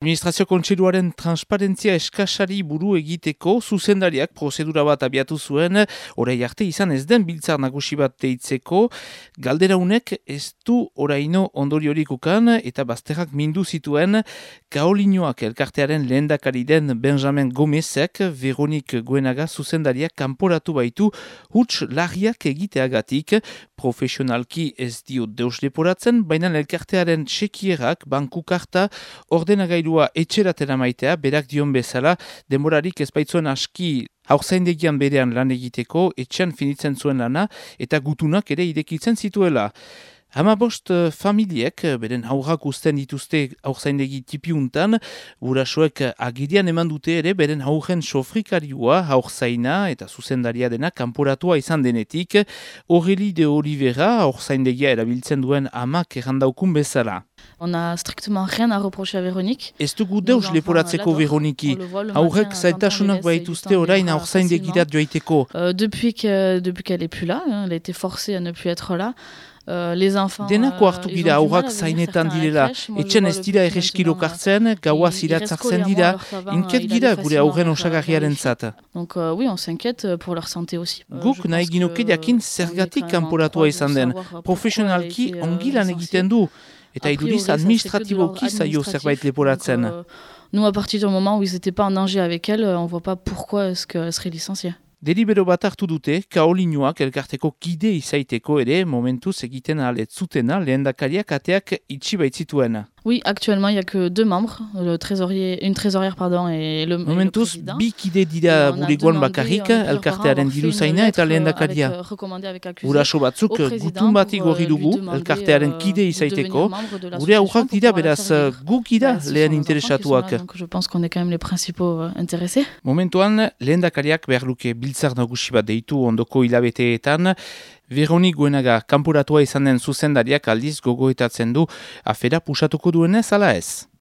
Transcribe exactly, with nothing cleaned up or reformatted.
Administrazio Kontseiluaren transparentzia eskasari buru egiteko zuzendariak prozedura bat abiatu zuen, orai arte izan ez den biltzar nagusi bat deitzeko, galderaunek ez du oraino ondoriorik ukan eta bazterrak mindu zituen Kaolinoak elkartearen lehendakari den Benjamin Gomezek Veronik Goenaga zuzendariak kanporatu baitu huts larriak egiteagatik, profesionalki ez dio deus leporatzen, baina elkartearen txekierak banku karta ordenagailu etxeratera maitea, berak dion bezala, demorarik ez baitzuen aski haurzaindegian berean lan egiteko, etxean finitzen zuen lana, eta gutunak ere irekitzen zituela. Hamabost familiek, beren haurrak uzten dituzte haurzaindegi tipiuntan, gurasoek agirian eman dute ere, beren haurren sofrikarioa, haurzaina eta zuzendaria dena kanporatua izan denetik, Aurélie de Oliveira, haurzaindegia erabiltzen duen amak errandaukun bezala. On n'a strictement rien à reprocher à Véronique. Ez dugu deus leporatzeko Veroniki. Haurrek zailtasunak baituzte orain haurzaindegirat joaiteko. Euh, depuis que, depuis qu'elle est plus là, hein, elle a été forcée à ne plus être là. Uh, les enfants, Denako hartu gira aurrak zainetan direla, etxen ez dira erreskilo kartzen, gaua ziratzartzen dira, inket gira gure aurren osagarriaren zata. Donc uh, oui, on s'inquiète pour leur santé aussi. Guk nahi ginoke jakin zergatik kanporatua izan den, profesionalki ongi lan egiten du, eta iduriz administratiboki zaio zerbait leporatzen. Nous, à partir du moment où ils n'étaient pas en danger avec elle, on ne voit pas pourquoi est-ce qu'elle serait licenciée. Delibero bat hartu dute, Kaolinoak elkarteko kide izaiteko ere momentuz egiten alet zutena lehendakariak ateak itxi baitzituen. Oui, actuellement, il n'y a que deux membres, le trésorier, une trésorière pardon, et le, momentuz, et le président. bi kide dira bulegoan bakarrik, elkartearen diru zaina eta lehendakaria. Guraso batzuk gutun bat igorri dugu, elkartearen kide izaiteko, gure aurrak dira beraz guk ira lehen interesatuak. Je pense qu'on est quand même les principaux intéressés. Momentuan, lehendakariak behar luke biltzar nagusi bat deitu ondoko hilabeteetan, Veronik Goenaga kanporatua izan den zuzendariak aldiz gogoetatzen du afera pusatuko duenez ala ez.